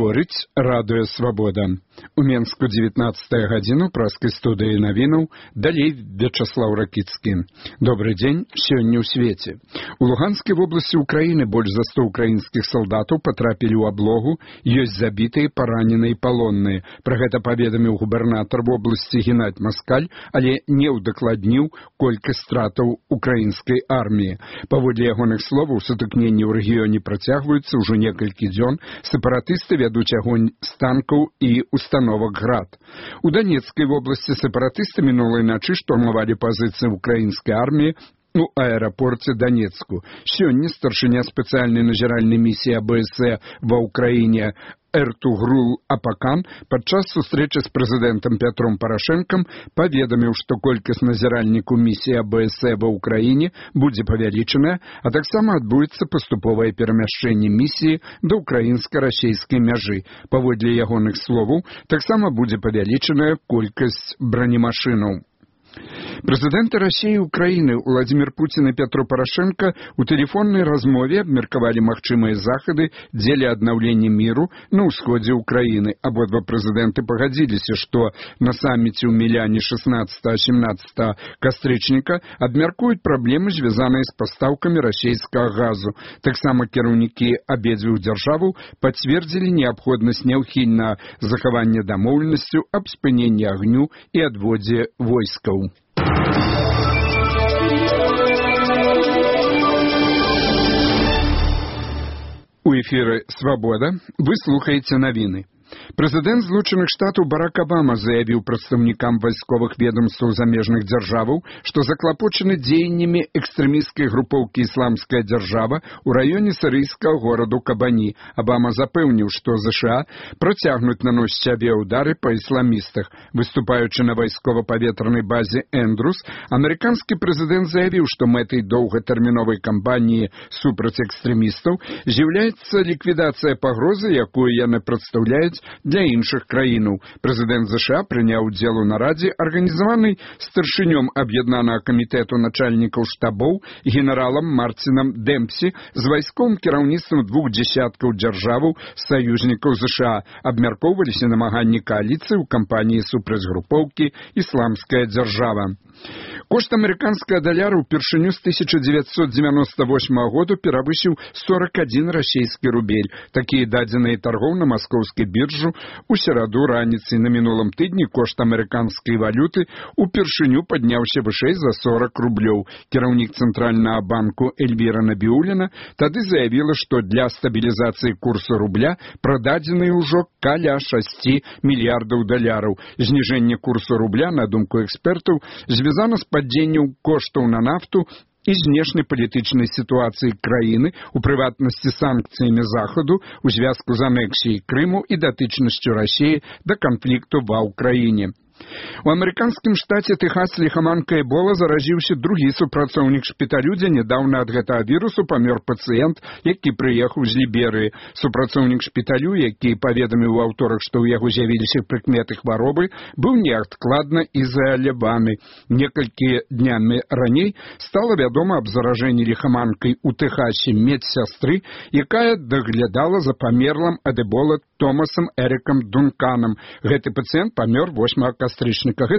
Гаворыць радыё «Свабода». У Менску 19 гадзіну праскай студыі навінаў, далей Вячаслаў Ракіцкі. Добрый дзень, сёння ў свеце. У Луганскай вобласці Украіны больш за 100 украінскіх салдатаў патрапілі ў аблогу, ёсць забітыя, параненыя і палонныя. Пра гэта паведаміў губернатар вобласці Геннадзь Маскаль, але не ўдакладніў колькасць стратаў украінскай арміі. Паводле ягоных словаў, сутыкненні ў рэгіёне працягваюцца ўжо некалькі дзён. Сепаратысты вядуць агонь з танкаў і установак «Град». У Донецкай вобласці сепаратысты мінулай начы штурмавалі пазіцыі украінскай арміі у аэрапорце Донецку. Сёння старшыня спецыяльнай назіральнай місіі АБС ва ўкраіне Эртугрул Апакан падчас сустрэчы з прэзідэнтам Пятром Парашэнкам паведаміў, што колькасць назіральнікаў місіі АБС ва ўкраіне будзе павялічаная, а таксама адбудзецца паступовае перамяшчэнне місіі да ўкраінска-расейскай мяжы. Паводле ягоных словаў, таксама будзе павялічаная колькасць бронемашынаў. Прэзідэнты Расіі і Украіны Владзімір Пуцін і Пятро Парашэнка ў тэлефоннай размове абмеркавалі магчымыя захады дзеля аднаўлення міру на ўсходзе Украіны. Абодва прэзідэнты пагадзіліся, што на саміце ў Міляне 16-17 кастрычніка абмяркуюць праблемы, звязаныя з пастаўкамі расійскага газу. Таксама кіраўнікі абедзвюх дзяржаваў пацвердзілі неабходнасць няўхільнага захавання дамоўленасцю аб спыненні агню і адводзе войскаў. У эфіры «Свабода» вы слухаеце навіны. Прэзідэнт Злучаных Штатаў Барак Абама заявіў прадстаўнікам вайсковых ведомстваў замежных дзяржаваў, што заклапочаны дзеяннямі экстрэмісцкай групоўкі «Ісламская дзяржава» у раёне сірыйскага гораду Кабані. Абама запэўніў, што ЗША працягнуць наносіць авіяўдары па ісламістах. Выступаючы на вайскова-паветранай базе Эндрус, амерыканскі прэзідэнт заявіў, што мэтай доўгатэрміновай кампаніі супраць экстрэмістаў з'яўляецца ліквідацыя пагрозы, якую яны прадстаўляюць для іншых краінаў. Прэзідэнт ЗША прыняў удзел у нарадзе, арганізаванай старшынём аб'яднанага камітэту начальнікаў штабоў генералам Марцінам Дэмпсі з вайсковым кіраўніцтвам 2 дзясяткаў дзяржаваў саюзнікаў ЗША. Абмяркоўваліся намаганні кааліцыі ў кампаніі супраць групоўкі «Ісламская дзяржава». Кошт амерыканскага даляра ўпершыню з 1998 году перавысіў 41 расійскі рубель. Такія дадзеныя таргоў на маскоўскай біржу у сераду раніцай. На мінулым тыдні кошт амерыканскай валюты ўпершыню падняўся вышэй за 40 рублёў. Кіраўнік цэнтральнага банку Эльвіра Набіуліна тады заявіла, што для стабілізацыі курсу рубля прададзеныя ўжо каля 6 мільярдаў даляраў. Зніжэнне курсу рубля, на думку экспертаў, звязана з падзеннем коштаў на нафту і знешнепалітычнай сітуацыі краіны, у прыватнасці санкцыямі Захаду у звязку з анексіяй Крыму і датычнасцю Расіі да канфлікту ва ўкраіне. У амерыканскім штаце Тэхас ліхаманкай Эбола заразіўся другі супрацоўнік шпіталю, дзе нядаўна ад гэтага вірусу памёр пацыент, які прыехаў з Ліберыі. Супрацоўнік шпіталю, які паведаміў у аўторак, што ў яго з'явіліся прыкметы хваробы, быў неадкладна ізаляваны. Некалькі днямі раней стала вядома аб заражэнні ліхаманкай у Тэхасе медсястры, якая даглядала за памерлым ад Эбола Томасам Эрыкам Дунканам. Гэты пацыент памёр 8 кастрычніка. Гэта